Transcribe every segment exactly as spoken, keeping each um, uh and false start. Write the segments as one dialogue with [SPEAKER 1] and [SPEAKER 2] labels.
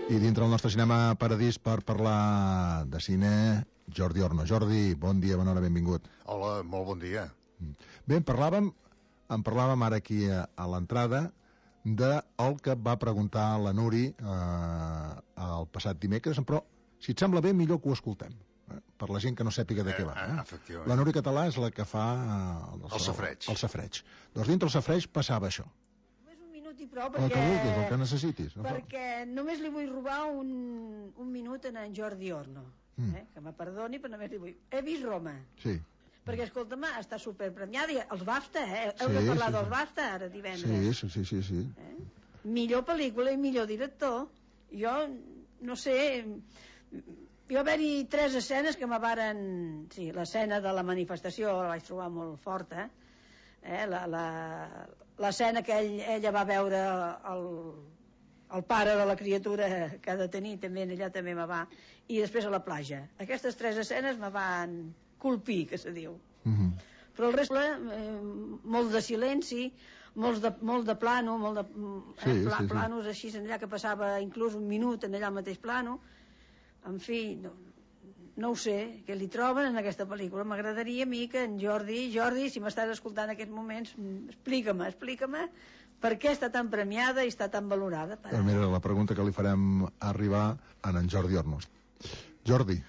[SPEAKER 1] I dintre el nostre cinema paradís per parlar de cine, Jordi Orno. Jordi, bon dia, bona hora, benvingut.
[SPEAKER 2] Hola, molt bon dia.
[SPEAKER 1] Bé, en parlàvem, en parlàvem ara aquí a, a l'entrada del que va preguntar la Nuri eh, el passat dimecres, però si et sembla bé, millor que ho escoltem, eh, per la gent que no sàpiga de què va. Eh?
[SPEAKER 2] Efectivament.
[SPEAKER 1] La Nuri Català és la que fa eh,
[SPEAKER 2] el, el safreig.
[SPEAKER 1] El safreig. Doncs dintre el safreig passava això.
[SPEAKER 3] I prou perquè,
[SPEAKER 1] el que vulguis, el que necessitis, no?
[SPEAKER 3] Perquè només li vull robar un, un minut a en Jordi Orno, mm. eh? Que me perdoni, però només li vull. He vist Roma.
[SPEAKER 1] Sí.
[SPEAKER 3] Perquè, escolta'm, està superpremiada. Els BAFTA, eh? Heu sí, de parlar sí, dels BAFTA ara divendres.
[SPEAKER 1] Sí, sí, sí, sí, sí.
[SPEAKER 3] Eh? Millor pel·lícula i millor director. Jo, no sé... Jo va haver-hi tres escenes que me varen... Sí, l'escena de la manifestació la vaig trobar molt forta, eh? Eh, la, la, l'escena que ell, ella va veure el, el pare de la criatura que ha de tenir també, allà també me va, i després a la platja. Aquestes tres escenes me van colpir, que se diu.
[SPEAKER 1] Mm-hmm.
[SPEAKER 3] Però el rest, eh, molt de silenci, molt de, molt de plano, molt de,
[SPEAKER 1] sí,
[SPEAKER 3] eh, pla,
[SPEAKER 1] sí, sí.
[SPEAKER 3] planos així, allà que passava inclús un minut en allà al mateix plano. En fi, no, no ho sé, què li troben en aquesta pel·lícula. M'agradaria a mi que en Jordi, Jordi, si m'estàs escoltant en aquests moments, explica-me, explica-me per què està tan premiada i està tan valorada. Per...
[SPEAKER 1] Mira, la pregunta que li farem arribar a en Jordi Ornos. Jordi,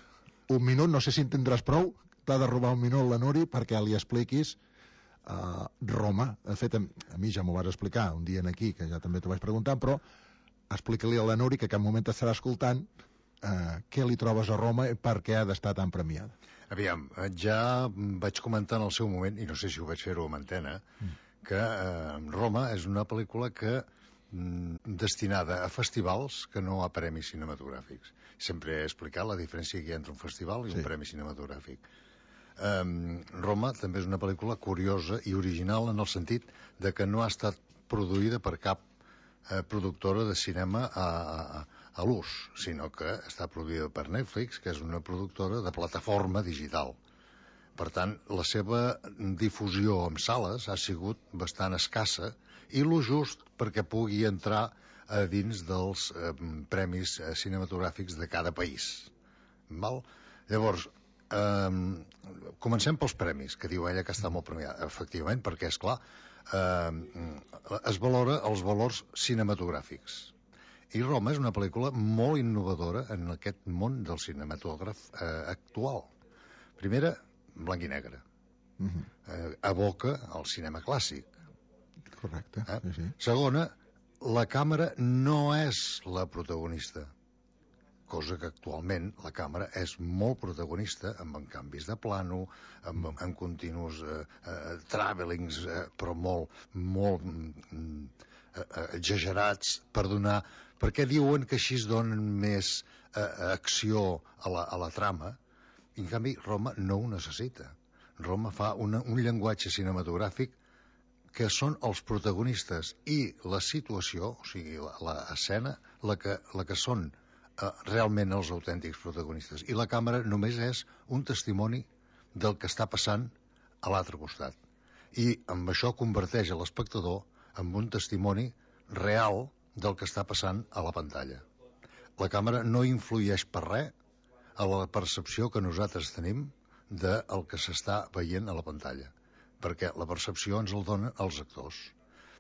[SPEAKER 1] un minut, no sé si en tindràs prou, t'ha de robar un minut la Nuri perquè li expliquis uh, Roma. De fet, a, a mi ja m'ho vas explicar un dia aquí, que ja també t'ho vaig preguntar, però explica-li a la Nuri que cap moment t'estarà escoltant Uh, què li trobes a Roma i per què ha d'estar tan premiada.
[SPEAKER 2] Aviam, ja vaig comentar en el seu moment, i no sé si ho vaig fer-ho amb antena, mm. que uh, Roma és una pel·lícula que mm, destinada a festivals que no a premis cinematogràfics. Sempre he explicat la diferència que hi ha entre un festival i sí. un premi cinematogràfic. Um, Roma també és una pel·lícula curiosa i original en el sentit de que no ha estat produïda per cap eh, productora de cinema a, a, a l'ús, sinó que està produïda per Netflix, que és una productora de plataforma digital. Per tant, la seva difusió en sales ha sigut bastant escassa i lo just perquè pugui entrar a dins dels eh, premis eh, cinematogràfics de cada país. Val? Llavors, eh, comencem pels premis, que diu ella que està molt premiada. Efectivament, perquè, és clar, eh, es valora els valors cinematogràfics. I Roma és una pel·lícula molt innovadora en aquest món del cinematògraf eh, actual. Primera, blanc i negre. Uh-huh. Eh, evoca el cinema clàssic.
[SPEAKER 1] Correcte. Eh? Sí, sí.
[SPEAKER 2] Segona, la càmera no és la protagonista, cosa que actualment la càmera és molt protagonista, amb en canvis de plano, amb, amb continus eh, eh, travelings, eh, però molt, molt mm, eh, exagerats per donar... Perquè diuen que així es donen més eh, acció a la, a la trama, i en canvi Roma no ho necessita. Roma fa una, un llenguatge cinematogràfic que són els protagonistes i la situació, o sigui, l'escena, la que, la que són eh, realment els autèntics protagonistes. I la càmera només és un testimoni del que està passant a l'altre costat. I amb això converteix a l'espectador en un testimoni real del que està passant a la pantalla. La càmera no influeix per res a la percepció que nosaltres tenim del que s'està veient a la pantalla, perquè la percepció ens el donen els actors.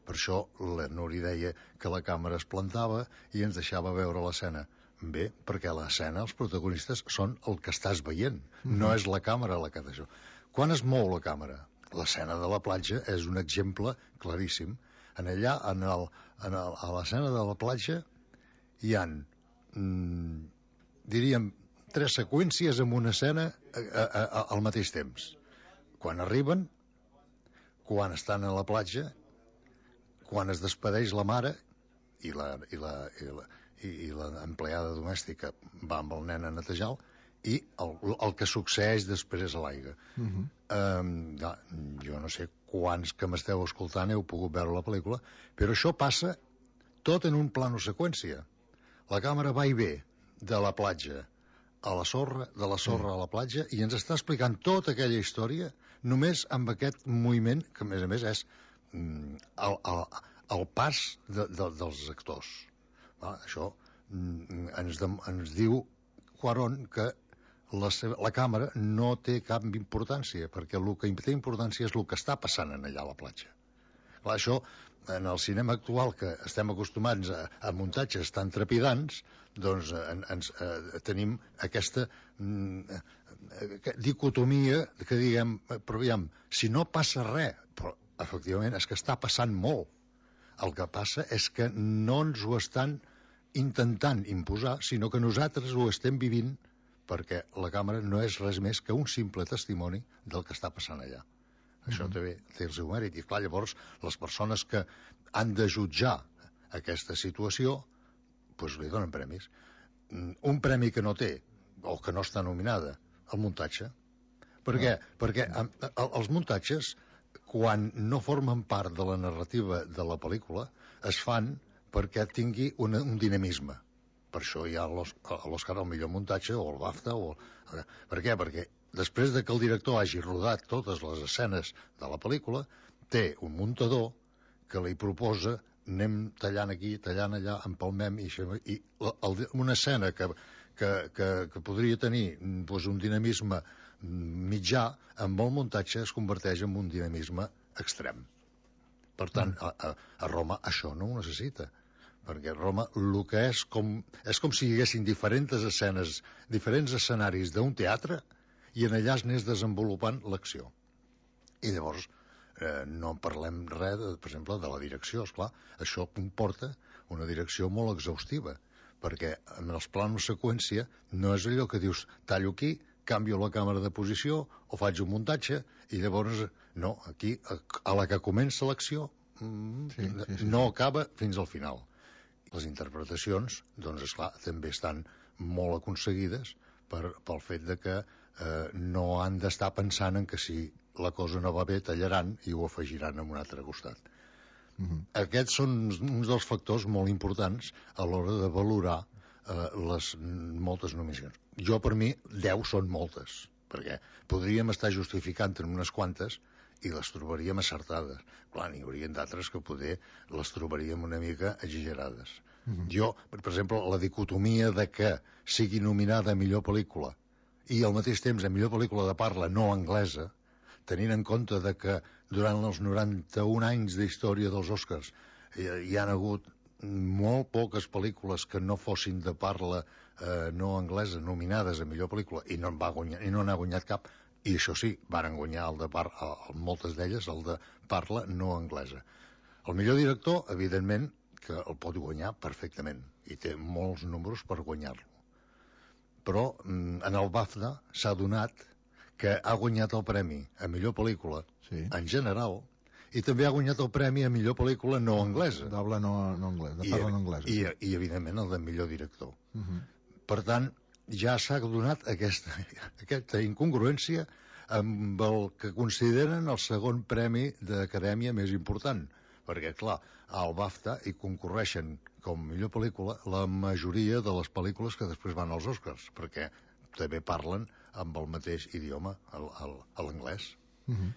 [SPEAKER 2] Per això la Nuri deia que la càmera es plantava i ens deixava veure l'escena. Bé, perquè l'escena, els protagonistes són el que estàs veient, mm-hmm. no és la càmera la que d'això. Quan es mou la càmera? L'escena de la platja és un exemple claríssim. En allà, en el, en el, a l'escena de la platja, hi ha, mm, diríem, tres seqüències en una escena a, a, a, al mateix temps. Quan arriben, quan estan a la platja, quan es despedeix la mare i la, i la, i la, i la empleada domèstica va amb el nen a netejar-lo, i el, el que succeeix després a l'aigua. Uh-huh. um, ja, jo no sé quants que m'esteu escoltant heu pogut veure la pel·lícula, però això passa tot en un plano seqüència. La càmera va i ve de la platja a la sorra, de la sorra uh-huh. a la platja, i ens està explicant tota aquella història només amb aquest moviment, que a més a més és mm, el, el, el pas de, de, dels actors. Va, això ens, de, ens diu Cuarón que la, seva, la càmera no té cap importància, perquè el que té importància és el que està passant en allà a la platja. Clar, això, en el cinema actual, que estem acostumats a, a muntatges tan trepidants, doncs en, ens, eh, tenim aquesta mm, dicotomia que diguem, però aviam, si no passa res, però efectivament és que està passant molt. El que passa és que no ens ho estan intentant imposar, sinó que nosaltres ho estem vivint, perquè la càmera no és res més que un simple testimoni del que està passant allà. Això també té el seu mèrit. I clar, llavors, les persones que han de jutjar aquesta situació, doncs li donen premis. Un premi que no té, o que no està nominada, el muntatge. Per què? Perquè els muntatges, quan no formen part de la narrativa de la pel·lícula, es fan perquè tingui una, un dinamisme. Per això hi ha l'Òscar al millor muntatge, o el BAFTA, o... Per què? Perquè després de que el director hagi rodat totes les escenes de la pel·lícula, té un muntador que li proposa anem tallant aquí, tallant allà, empalmem, i, i el, una escena que, que, que, que podria tenir doncs, un dinamisme mitjà, amb el muntatge es converteix en un dinamisme extrem. Per tant, a, a, a Roma això no ho necessita, perquè Roma el que és com, és com si hi haguessin diferents escenes, diferents escenaris d'un teatre, i en allà es anés desenvolupant l'acció. I llavors eh, no parlem res, de, per exemple, de la direcció, esclar. Això comporta una direcció molt exhaustiva, perquè en els plans seqüència no és allò que dius tallo aquí, canvio la càmera de posició o faig un muntatge, i llavors no, aquí a la que comença l'acció mm, sí, sí, sí. no acaba fins al final. Les interpretacions, doncs esclar, també estan molt aconseguides per, pel fet de que eh, no han d'estar pensant en que si la cosa no va bé tallaran i ho afegiran en un altre costat. Mm-hmm. Aquests són uns dels factors molt importants a l'hora de valorar eh, les moltes nominacions. Jo, per mi, deu són moltes, perquè podríem estar justificant en unes quantes i les trobaríem acertades. Clar, n'hi haurien d'altres que poder les trobaríem una mica exagerades. Mm-hmm. Jo, per exemple, la dicotomia de que sigui nominada a millor pel·lícula i al mateix temps a millor pel·lícula de parla no anglesa, tenint en compte de que durant els noranta-un anys d'història dels Oscars hi, hi han hagut molt poques pel·lícules que no fossin de parla eh, no anglesa nominades a millor pel·lícula i no en va guanyar, i no n'ha guanyat cap, i això sí, varen guanyar el de par el, moltes d'elles el de parla no anglesa. El millor director, evidentment, que el pot guanyar perfectament i té molts números per guanyar-lo. Però en el BAFTA s'ha donat que ha guanyat el premi a millor pel·lícula sí. en general, i també ha guanyat el premi a millor pel·lícula no anglesa.
[SPEAKER 1] D'habla no, no anglesa, de parla no anglesa.
[SPEAKER 2] I, i, evidentment, el de millor director.
[SPEAKER 1] Uh -huh.
[SPEAKER 2] Per tant, ja s'ha donat aquesta, aquesta incongruència amb el que consideren el segon premi d'acadèmia més important. Perquè, clar, al BAFTA hi concorreixen com millor pel·lícula la majoria de les pel·lícules que després van als Oscars, perquè també parlen amb el mateix idioma, l'anglès.
[SPEAKER 1] Uh -huh.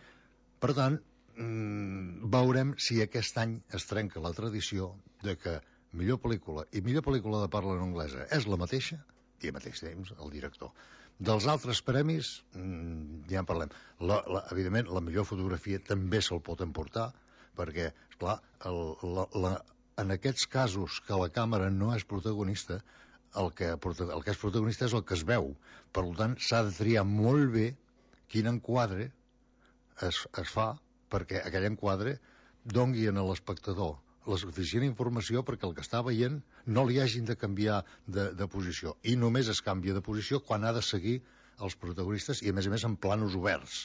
[SPEAKER 2] Per tant, mmm, veurem si aquest any es trenca la tradició de que millor pel·lícula i millor pel·lícula de parla en anglesa és la mateixa, i al mateix temps el director. Dels altres premis, mmm, ja en parlem. La, la, evidentment, la millor fotografia també se'l pot emportar, perquè, esclar, el, la, la, en aquests casos que la càmera no és protagonista, el que, el que és protagonista és el que es veu. Per tant, s'ha de triar molt bé quin enquadre es, es fa perquè aquell enquadre dongui a l'espectador la suficient informació perquè el que està veient no li hagin de canviar de, de posició. I només es canvia de posició quan ha de seguir els protagonistes i, a més a més, en planos oberts.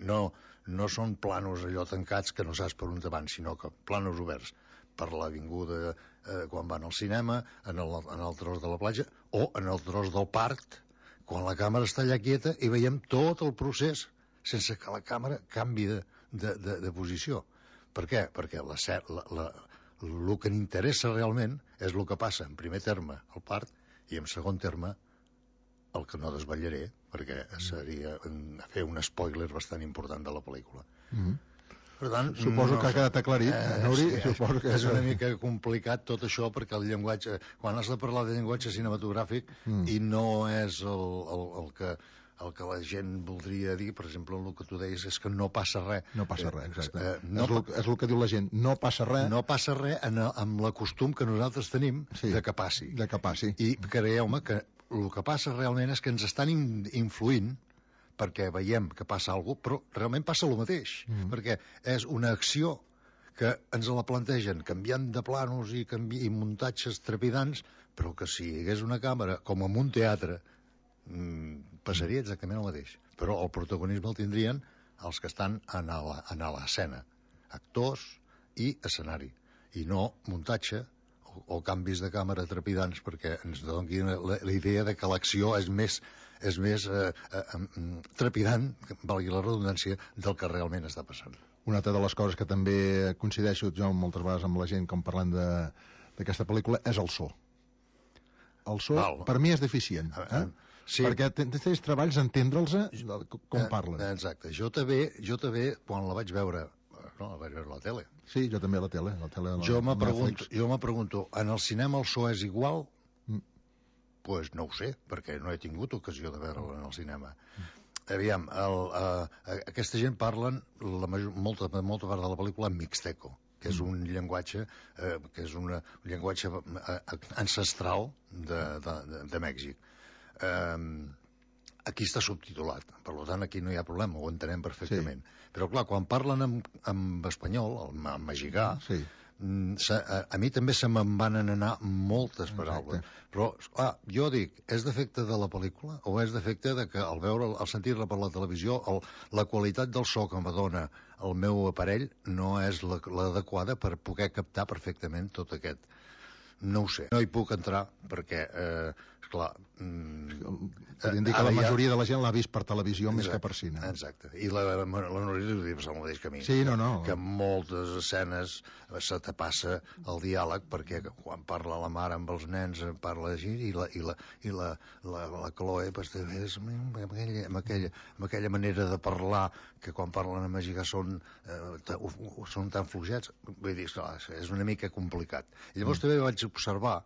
[SPEAKER 2] No, no són planos allò tancats que no saps per on te van, sinó que planos oberts per l'avinguda eh, quan van al cinema, en el, en el tros de la platja o en el tros del parc, quan la càmera està allà quieta i veiem tot el procés sense que la càmera canvi de, de, de, de posició. Per què? Perquè la, la, la, el que n'interessa realment és el que passa en primer terme al parc i en segon terme el que no desvetllaré perquè seria fer un spoiler bastant important de la pel·lícula.
[SPEAKER 1] Mm-hmm.
[SPEAKER 2] Per tant,
[SPEAKER 1] suposo
[SPEAKER 2] no
[SPEAKER 1] que ha
[SPEAKER 2] sé.
[SPEAKER 1] quedat aclarit,
[SPEAKER 2] Eh,
[SPEAKER 1] Nuri,
[SPEAKER 2] sí,
[SPEAKER 1] suposo que...
[SPEAKER 2] és una mica complicat tot això, perquè el llenguatge, quan has de parlar de llenguatge cinematogràfic, mm. i no és el, el, el que el que la gent voldria dir, per exemple, el que tu deies és que no passa res.
[SPEAKER 1] No passa res, exacte.
[SPEAKER 2] Eh, no,
[SPEAKER 1] és, el, és el que diu la gent, no passa res.
[SPEAKER 2] No passa res en, amb l'acostum que nosaltres tenim
[SPEAKER 1] sí,
[SPEAKER 2] de que passi.
[SPEAKER 1] De que passi.
[SPEAKER 2] I creieu-me que el que passa realment és que ens estan in, influint perquè veiem que passa alguna cosa, però realment passa el mateix, mm. perquè és una acció que ens la plantegen canviant de planos i, canvi, i muntatges trepidants, però que si hi hagués una càmera, com en un teatre, mm, passaria exactament el mateix. Però el protagonisme el tindrien els que estan en l'escena, actors i escenari, i no muntatge o, o canvis de càmera trepidants, perquè ens donin la, la idea de que l'acció és més és més eh, eh, trepidant, valgui la redundància, del que realment està passant.
[SPEAKER 1] Una altra de les coses que també coincideixo jo moltes vegades amb la gent com parlant d'aquesta pel·lícula és el so. El so, Val. per mi, és deficient. Eh? Sí. Perquè tens treballs entendre'ls com eh, parlen.
[SPEAKER 2] Exacte. Jo també, jo també, quan la vaig veure, no, la vaig veure a la tele.
[SPEAKER 1] Sí, jo també a la tele. A la tele
[SPEAKER 2] jo me pregunto, jo me pregunto, en el cinema el so és igual? Mm. Pues no ho sé, perquè no he tingut ocasió de veure'l en el cinema. Mm. Aviam, el, uh, aquesta gent parlen la major, molta, molta part de la pel·lícula en mixteco, que és un llenguatge eh, que és una, un llenguatge ancestral de, de, de, de Mèxic. Eh, aquí està subtitulat, per tant aquí no hi ha problema, ho entenem perfectament. Sí. Però clar, quan parlen en, en espanyol, en mexicà, sí. A, a mi també se me'n van anar moltes paraules. Exacte. Però, clar, jo dic, és defecte de la pel·lícula o és defecte de que al veure, al sentir-la per la televisió, el, la qualitat del so que me dona el meu aparell no és l'adequada per poder captar perfectament tot aquest. No ho sé. No hi puc entrar perquè, eh, esclar... Mm,
[SPEAKER 1] Podríem dir que la majoria de la gent l'ha vist per televisió exacte, més que per cine.
[SPEAKER 2] Exacte. I la, la, la Núria ho diu el mateix que a mi.
[SPEAKER 1] Sí, no, no.
[SPEAKER 2] Que en moltes escenes se te passa el diàleg perquè quan parla la mare amb els nens parla així i la, i la, i la, la, la Chloe pues, és amb aquella, amb, aquella, amb aquella manera de parlar que quan parlen en mexicà són, eh, són tan fluixets. Vull dir, esclar, és una mica complicat. I llavors mm. també vaig observar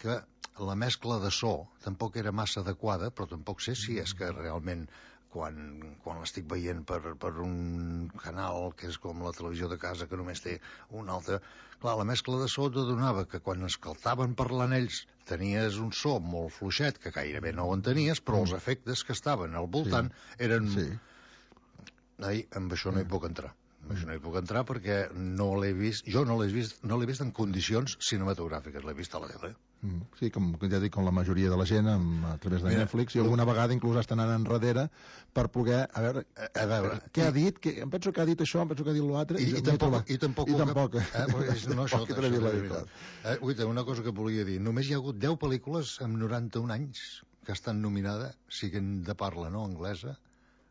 [SPEAKER 2] que la mescla de so tampoc era massa adequada, però tampoc sé si és que realment quan, quan l'estic veient per, per un canal que és com la televisió de casa que només té un altre... Clar, la mescla de so te donava que quan escaltaven parlant ells tenies un so molt fluixet, que gairebé no ho entenies, però els efectes que estaven al voltant sí. eren... Sí. Ai, amb això no hi puc entrar. Amb això no hi puc entrar perquè no l'he vist... Jo no l'he vist, no l'he vist en condicions cinematogràfiques, l'he vist a la tele.
[SPEAKER 1] Mm, sí, com ja dic, com la majoria de la gent amb, a través de Mira, Netflix i alguna no. vegada inclús estan anant enrere per poder, a veure, a, a veure què i, ha dit, que, em penso que ha dit això, em penso que ha dit l'altre
[SPEAKER 2] i, i, i, tampoc, i tampoc
[SPEAKER 1] i tampoc,
[SPEAKER 2] eh, pues, no, això, això, això, això, eh, uita, una cosa que volia dir, només hi ha hagut deu pel·lícules amb noranta-un anys que estan nominades, siguin de parla no anglesa,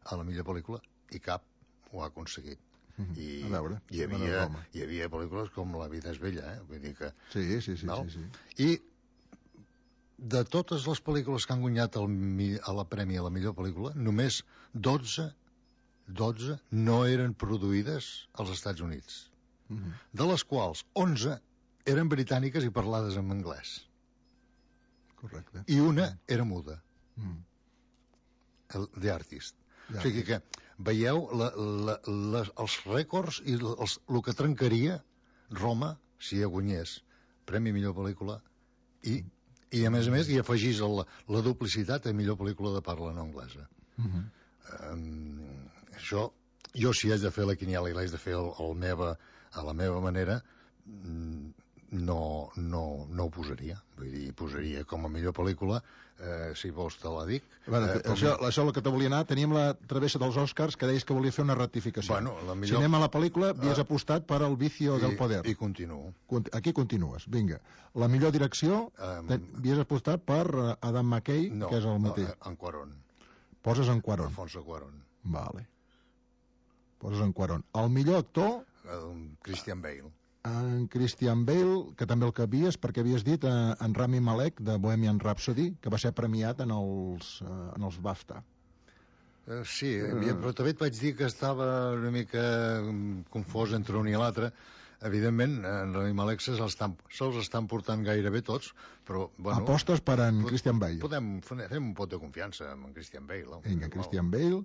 [SPEAKER 2] a la millor pel·lícula i cap ho ha aconseguit. I
[SPEAKER 1] a veure,
[SPEAKER 2] hi havia, hi havia pel·lícules com La vida és bella, eh? Vull dir que...
[SPEAKER 1] Sí, sí, sí, sí, sí.
[SPEAKER 2] I de totes les pel·lícules que han guanyat el, a la premi a la millor pel·lícula, només dotze, dotze no eren produïdes als Estats Units, uh -huh. de les quals onze eren britàniques i parlades en anglès.
[SPEAKER 1] Correcte.
[SPEAKER 2] I una era muda. Uh -huh. El, The Artist. The o sigui que veieu la, la, la, els rècords i els, el que trencaria Roma si hi guanyés Premi Millor Pel·lícula i, i a més a més hi afegís la, la duplicitat a millor pel·lícula de parla no anglesa. Uh -huh. um, això, jo si haig de fer la quiniela i l'haig de fer el, el meva, a la meva manera, no, no, no ho posaria. Vull dir, posaria com a millor pel·lícula, eh, si vols te la dic.
[SPEAKER 1] Bueno, eh, això, com... això és el que te volia anar. Teníem la travessa dels Oscars que deies que volia fer una rectificació. Bueno, la millor... Si anem a la pel·lícula, havies uh, apostat per El vicio
[SPEAKER 2] i,
[SPEAKER 1] del poder.
[SPEAKER 2] I continuo.
[SPEAKER 1] Aquí continues, vinga. La millor direcció, um, havies apostat per Adam McKay,
[SPEAKER 2] no,
[SPEAKER 1] que és el mateix.
[SPEAKER 2] No, en Cuarón.
[SPEAKER 1] Poses en Cuarón.
[SPEAKER 2] Alfonso Cuarón.
[SPEAKER 1] Vale. Poses en Cuarón. El millor actor...
[SPEAKER 2] Um, Christian Bale.
[SPEAKER 1] En Christian Bale, que també el que havies, perquè havies dit eh, en Rami Malek de Bohemian Rhapsody, que va ser premiat en els, eh, en els BAFTA.
[SPEAKER 2] Uh, sí, uh. però també et vaig dir que estava una mica confós entre un i l'altre. Evidentment, en Rami Malek se'ls estan, se estan portant gairebé tots, però... Bueno,
[SPEAKER 1] apostes per en
[SPEAKER 2] pod
[SPEAKER 1] Christian Bale.
[SPEAKER 2] Podem fer un pot de confiança amb en Christian Bale. No?
[SPEAKER 1] Vinga, Christian Bale.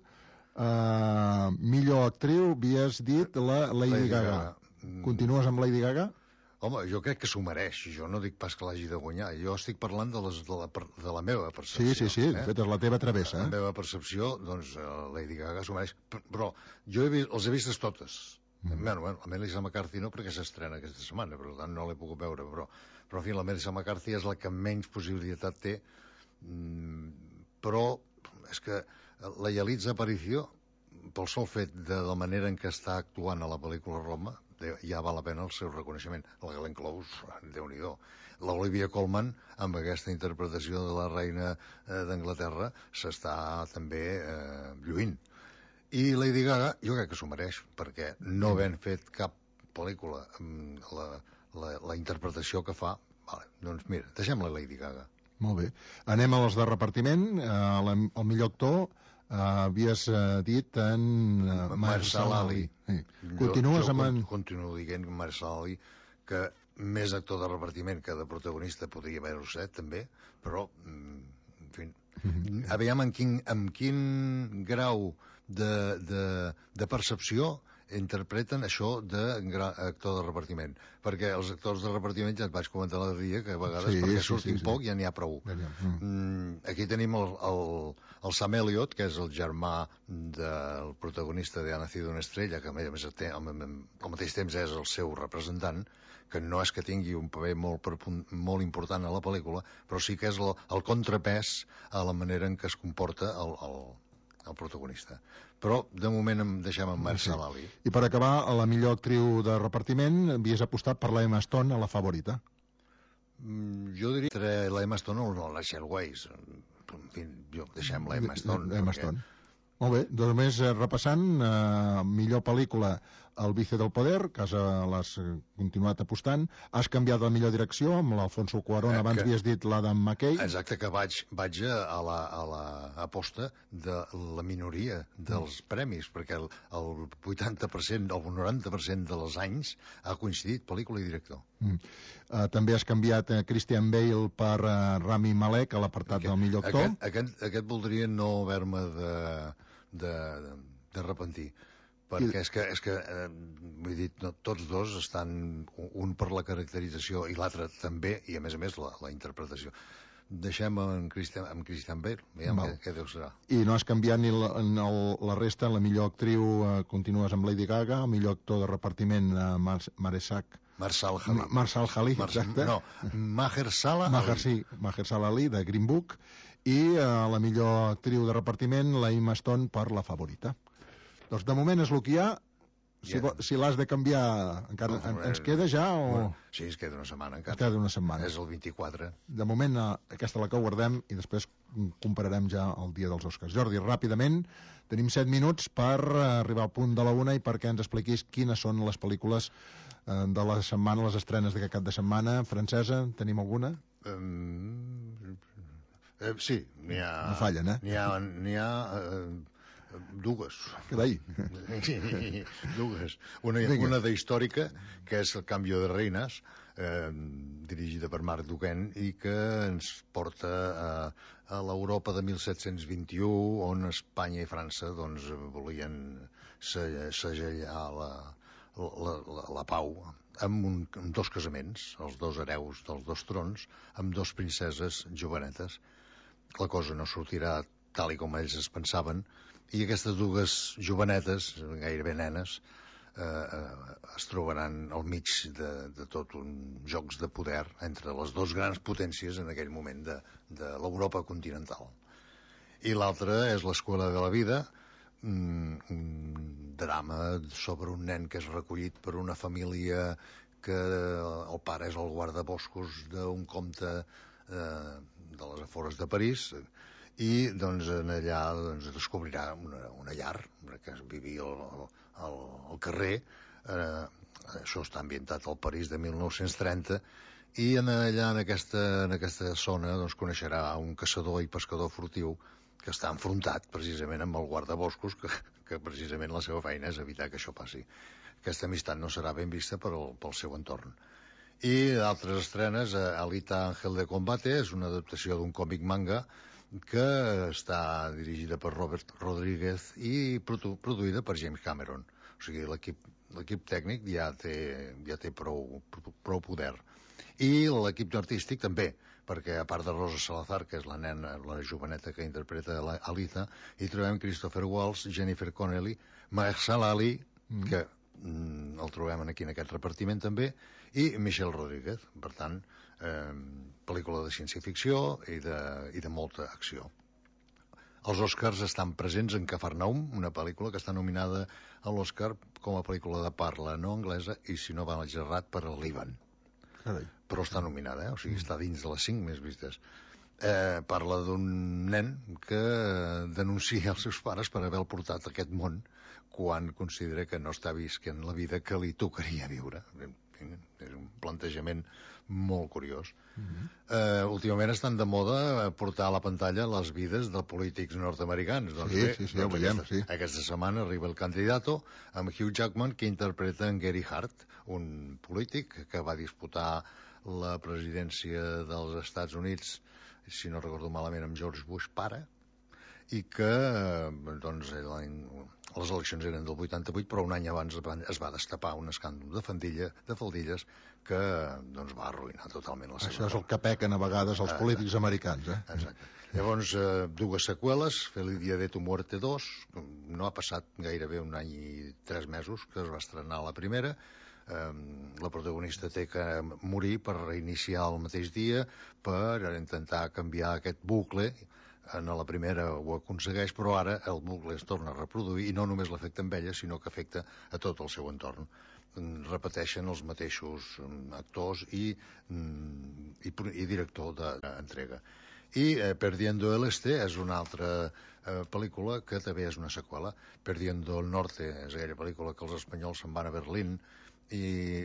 [SPEAKER 1] Uh, millor actriu, havies dit la Lady, Lady Gaga. Gaga. Continues amb Lady Gaga?
[SPEAKER 2] Home, jo crec que s'ho mereix. Jo no dic pas que l'hagi de guanyar. Jo estic parlant de, les, de, la, de la meva percepció.
[SPEAKER 1] Sí, sí, sí. Eh? De fet, és la teva travessa.
[SPEAKER 2] La
[SPEAKER 1] eh?
[SPEAKER 2] meva percepció, doncs, Lady Gaga s'ho mereix. Però jo he vist, els he vistes totes. Mm. Bueno, bueno, la Melissa McCarthy no, perquè s'estrena aquesta setmana, per tant no l'he pogut veure. Però, però, en fi, la Melissa McCarthy és la que menys possibilitat té. Mm, però és que la Yalitza Aparicio, pel sol fet de la manera en què està actuant a la pel·lícula Roma, ja val la pena el seu reconeixement. La Glenn Close, Déu-n'hi-do. L'Olivia Colman, amb aquesta interpretació de la reina eh, d'Anglaterra, s'està també eh, lluint. I Lady Gaga, jo crec que s'ho mereix, perquè no havent fet cap pel·lícula amb la, la, la interpretació que fa, vale, doncs mira, deixem la Lady Gaga.
[SPEAKER 1] Molt bé. Anem a les de repartiment. Eh, la, el millor actor, Uh, havies uh, dit en uh, Marshall Ali. Sí. Continues
[SPEAKER 2] jo, jo
[SPEAKER 1] amb en...
[SPEAKER 2] continuo dient Marshall Ali, que més actor de repartiment que de protagonista podria haver-ho set, també, però, en fi, mm-hmm. aviam en quin, en quin grau de, de, de percepció interpreten això d'actor de repartiment, perquè els actors de repartiment ja et vaig comentar l'altre dia que a vegades sí, perquè sí, surtin sí, sí. poc ja n'hi ha prou. Mm. Mm, aquí tenim el, el, el Sam Elliott, que és el germà del protagonista de Ha nacido una estrella, que a més té, al, al mateix temps és el seu representant, que no és que tingui un paper molt, molt important a la pel·lícula, però sí que és el, el contrapès a la manera en què es comporta el, el, el protagonista. Però, de moment, em deixem en Marshall Ali.
[SPEAKER 1] I per acabar, a la millor actriu de repartiment, havies apostat per la Emma Stone, a la favorita.
[SPEAKER 2] Mm, jo diria entre la Emma Stone o la Rachel Weisz. En fi, jo deixem la Emma Stone.
[SPEAKER 1] Emma
[SPEAKER 2] perquè...
[SPEAKER 1] Stone. Molt bé, doncs més eh, repassant, eh, millor pel·lícula El vice del poder, que has, eh, l'has continuat apostant, has canviat la millor direcció amb l'Alfonso Cuarón, eh, abans que... havies dit l'Adam McKay.
[SPEAKER 2] Exacte, que vaig, vaig a la, a la aposta de la minoria dels mm. premis, perquè el, el vuitanta per cent, el noranta per cent dels anys ha coincidit pel·lícula i director. Mm.
[SPEAKER 1] Uh, també has canviat uh, Christian Bale per uh, Rami Malek a l'apartat del millor actor.
[SPEAKER 2] Aquest, aquest, aquest voldria no haver-me de... de, de repentir perquè I... és que, és que eh, vull dir, no, tots dos estan un per la caracterització i l'altre també, i a més a més la, la interpretació. Deixem en Christian, amb Christian Bale, veiem què, què deu serà.
[SPEAKER 1] I no has canviat ni la, el, la resta, la millor actriu eh, continues amb Lady Gaga, el millor actor de repartiment eh, Mar Maresak
[SPEAKER 2] Marshall Ali.
[SPEAKER 1] Marshall Ali, Mar exacte.
[SPEAKER 2] No, Mahershala Ali.
[SPEAKER 1] Maher, sí, Mahershala Ali, de Green Book. I eh, la millor actriu de repartiment, la Emma Stone, per la favorita. Doncs de moment és el que hi ha. Si, yeah. si l'has de canviar, encara no, en, ens queda ja o...?
[SPEAKER 2] Bueno, sí, es queda una setmana encara.
[SPEAKER 1] Es queda una setmana.
[SPEAKER 2] És el vint-i-quatre.
[SPEAKER 1] De moment, eh, aquesta la que guardem i després compararem ja el dia dels Oscars. Jordi, ràpidament, tenim set minuts per arribar al punt de la una i perquè ens expliquis quines són les pel·lícules eh, de la setmana, les estrenes d'aquest cap de setmana. Francesa, tenim alguna?
[SPEAKER 2] Um, eh, sí, n'hi ha...
[SPEAKER 1] No fallen, eh?
[SPEAKER 2] N'hi ha... N'hi ha eh, dues.
[SPEAKER 1] Carai.
[SPEAKER 2] Dues. Una, una d'històrica, que és El canvi de reines, eh, dirigida per Marc Duquesne, i que ens porta a, a l'Europa de mil set-cents vint-i-u, on Espanya i França doncs, volien segellar la, la, la, la pau amb, un, amb dos casaments, els dos hereus dels dos trons, amb dos princeses jovenetes. La cosa no sortirà tal i com ells es pensaven, i aquestes dues jovenetes, gairebé nenes, eh, eh, es trobaran al mig de, de tot un jocs de poder entre les dues grans potències en aquell moment de, de l'Europa continental. I l'altra és l'Escola de la Vida, un, un drama sobre un nen que és recollit per una família que el pare és el guardaboscos d'un comte eh, de les afores de París, i doncs en allà doncs, descobrirà una, una llar que vivia al, al, al carrer. Eh, això està ambientat al París de mil nou-cents trenta, i en allà en aquesta, en aquesta zona doncs, coneixerà un caçador i pescador furtiu que està enfrontat precisament amb el guardaboscos, que, que precisament la seva feina és evitar que això passi. Aquesta amistat no serà ben vista pel, pel seu entorn. I d'altres estrenes, Alita Ángel de Combate, és una adaptació d'un còmic manga que està dirigida per Robert Rodríguez i produ produïda per James Cameron. O sigui, l'equip tècnic ja té, ja té prou, prou poder. I l'equip artístic també, perquè a part de Rosa Salazar, que és la nena, la joveneta que interpreta Alita, hi trobem Christopher Waltz, Jennifer Connelly, Mahershala Ali, mm. que mm, el trobem aquí en aquest repartiment també, i Michelle Rodríguez. Per tant, eh, pel·lícula de ciència-ficció i, de, i de molta acció. Els Oscars estan presents en Cafarnaum, una pel·lícula que està nominada a l'Oscar com a pel·lícula de parla no anglesa i, si no vaig errat, per al Líban.
[SPEAKER 1] Carai.
[SPEAKER 2] Però està nominada, eh? O sigui, està dins de les cinc més vistes. Eh, parla d'un nen que denuncia els seus pares per haver portat a aquest món quan considera que no està visquent la vida que li tocaria viure. És un plantejament molt curiós. Uh-huh. eh, últimament estan de moda portar a la pantalla les vides de polítics nord-americans. Doncs
[SPEAKER 1] sí,
[SPEAKER 2] bé,
[SPEAKER 1] sí, sí,
[SPEAKER 2] doncs
[SPEAKER 1] ho veiem,
[SPEAKER 2] aquesta,
[SPEAKER 1] sí.
[SPEAKER 2] Aquesta setmana arriba el Candidato amb Hugh Jackman, que interpreta en Gary Hart, un polític que va disputar la presidència dels Estats Units, si no recordo malament, amb George Bush pare, i que doncs, les eleccions eren del vuitanta-vuit, però un any abans es va destapar un escàndol de faldilla, de faldilles que doncs, va arruïnar totalment la seva...
[SPEAKER 1] Això és el que pequen a vegades els polítics americans, eh?
[SPEAKER 2] Exacte. Llavors, eh, dues seqüeles, Feliz Día de tu Muerte dos, no ha passat gairebé un any i tres mesos que es va estrenar la primera. Eh, la protagonista té que morir per reiniciar el mateix dia, per intentar canviar aquest bucle. En la primera ho aconsegueix, però ara el bucle es torna a reproduir i no només l'afecta amb ella, sinó que afecta a tot el seu entorn. Repeteixen els mateixos actors i, i, i director d'entrega. I eh, Perdiendo el Este és una altra eh, pel·lícula que també és una seqüela. Perdiendo el Norte és aquella pel·lícula que els espanyols se'n van a Berlín i,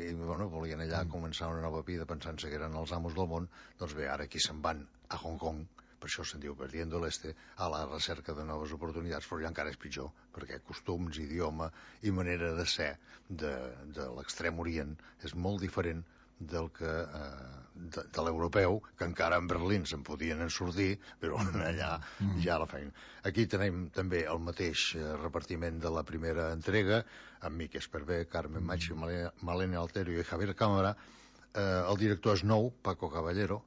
[SPEAKER 2] i bueno, volien allà mm. començar una nova vida pensant-se que eren els amos del món. Doncs bé, ara aquí se'n van a Hong Kong, per això se'n diu Perdiendo el Este, a la recerca de noves oportunitats, però ja encara és pitjor, perquè costums, idioma i manera de ser de, de l'extrem orient és molt diferent del que eh, de, de l'europeu, que encara en Berlín se'n podien en sortir, però allà mm. ja la feina. Aquí tenim també el mateix repartiment de la primera entrega, amb Miquel Esparvé, Carmen Machi, Malena Alterio i Javier Cámara. Eh, el director és nou, Paco Caballero,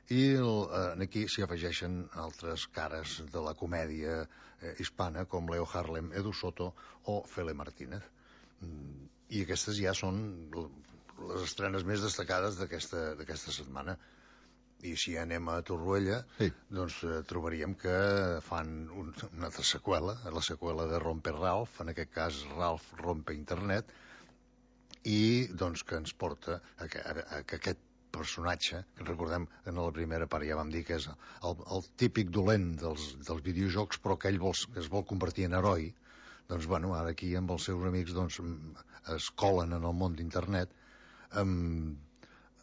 [SPEAKER 2] i el, eh, aquí s'hi afegeixen altres cares de la comèdia eh, hispana, com Leo Harlem, Edu Soto o Fele Martínez. Mm, I aquestes ja són les estrenes més destacades d'aquesta setmana. I si anem a Torroella, sí. doncs eh, trobaríem que fan un, una altra seqüela, la seqüela de Rompe Ralph, en aquest cas Ralph Rompe Internet, i doncs que ens porta a que, a, a que aquest personatge, que recordem que en la primera part ja vam dir que és el, el típic dolent dels, dels videojocs, però que ell vol, es vol convertir en heroi, doncs bueno, ara aquí amb els seus amics doncs, es colen en el món d'internet amb,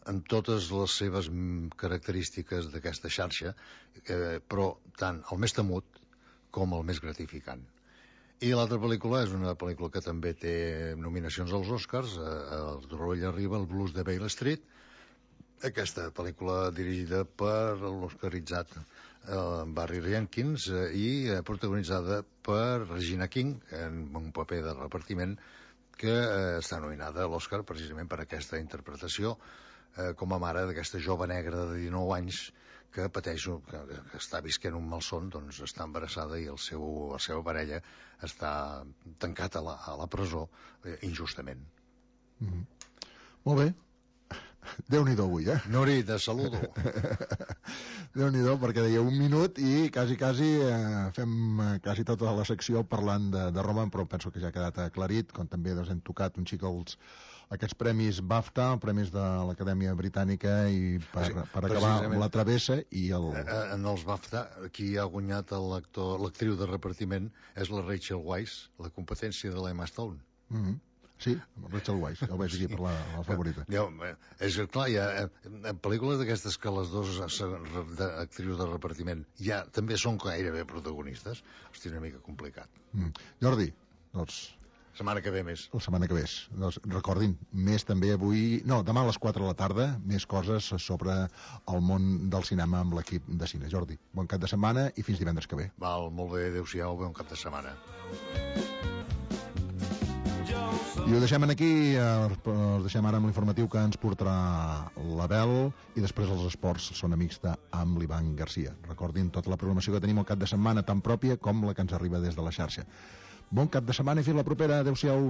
[SPEAKER 2] amb totes les seves característiques d'aquesta xarxa, eh, però tant el més temut com el més gratificant. I l'altra pel·lícula és una pel·lícula que també té nominacions als Oscars, eh, el Torroella arriba, el blues de Beale Street, aquesta pel·lícula dirigida per l'oscaritzat eh, Barry Jenkins eh, i eh, protagonitzada per Regina King en un paper de repartiment que eh, està nominada a l'Oscar precisament per aquesta interpretació eh, com a mare d'aquesta jove negra de dinou anys que pateix, que, que està visquent un malson, doncs està embarassada i el seu, la seva parella està tancat a la, a la presó eh, injustament.
[SPEAKER 1] Mm-hmm. Molt bé. Déu-n'hi-do avui, eh?
[SPEAKER 2] Nori, te saludo.
[SPEAKER 1] Déu-n'hi-do, perquè deia un minut i quasi, quasi eh, fem quasi tota la secció parlant de, de Roma, però penso que ja ha quedat aclarit, com també doncs, hem tocat un xic els, aquests premis BAFTA, premis de l'Acadèmia Britànica, i per, sí, per acabar amb La Travessa i el...
[SPEAKER 2] En els BAFTA, qui ha guanyat l'actriu de repartiment és la Rachel Weisz, la competència de l'Emma Stone.
[SPEAKER 1] Mm-hmm. Sí, Rachel Weisz, ja ho veig aquí per la, la favorita.
[SPEAKER 2] Ja, és que, clar, hi ha eh, pel·lícules d'aquestes que les dues actrius de repartiment ja també són gairebé protagonistes. Hosti, una mica complicat.
[SPEAKER 1] Mm. Jordi, doncs...
[SPEAKER 2] Setmana que ve més.
[SPEAKER 1] La setmana que ve. Doncs recordin, més també avui... No, demà a les quatre de la tarda, més coses sobre el món del cinema amb l'equip de cine. Jordi, bon cap de setmana i fins divendres que ve.
[SPEAKER 2] Val, molt bé, adéu-siau, bon cap de setmana.
[SPEAKER 1] I ho deixem aquí, us deixem ara amb l'informatiu que ens portarà l'Abel i després els esports són amics amb l'Ivan Garcia. Recordin tota la programació que tenim al cap de setmana, tan pròpia com la que ens arriba des de la xarxa. Bon cap de setmana i fins la propera. Adéu-siau.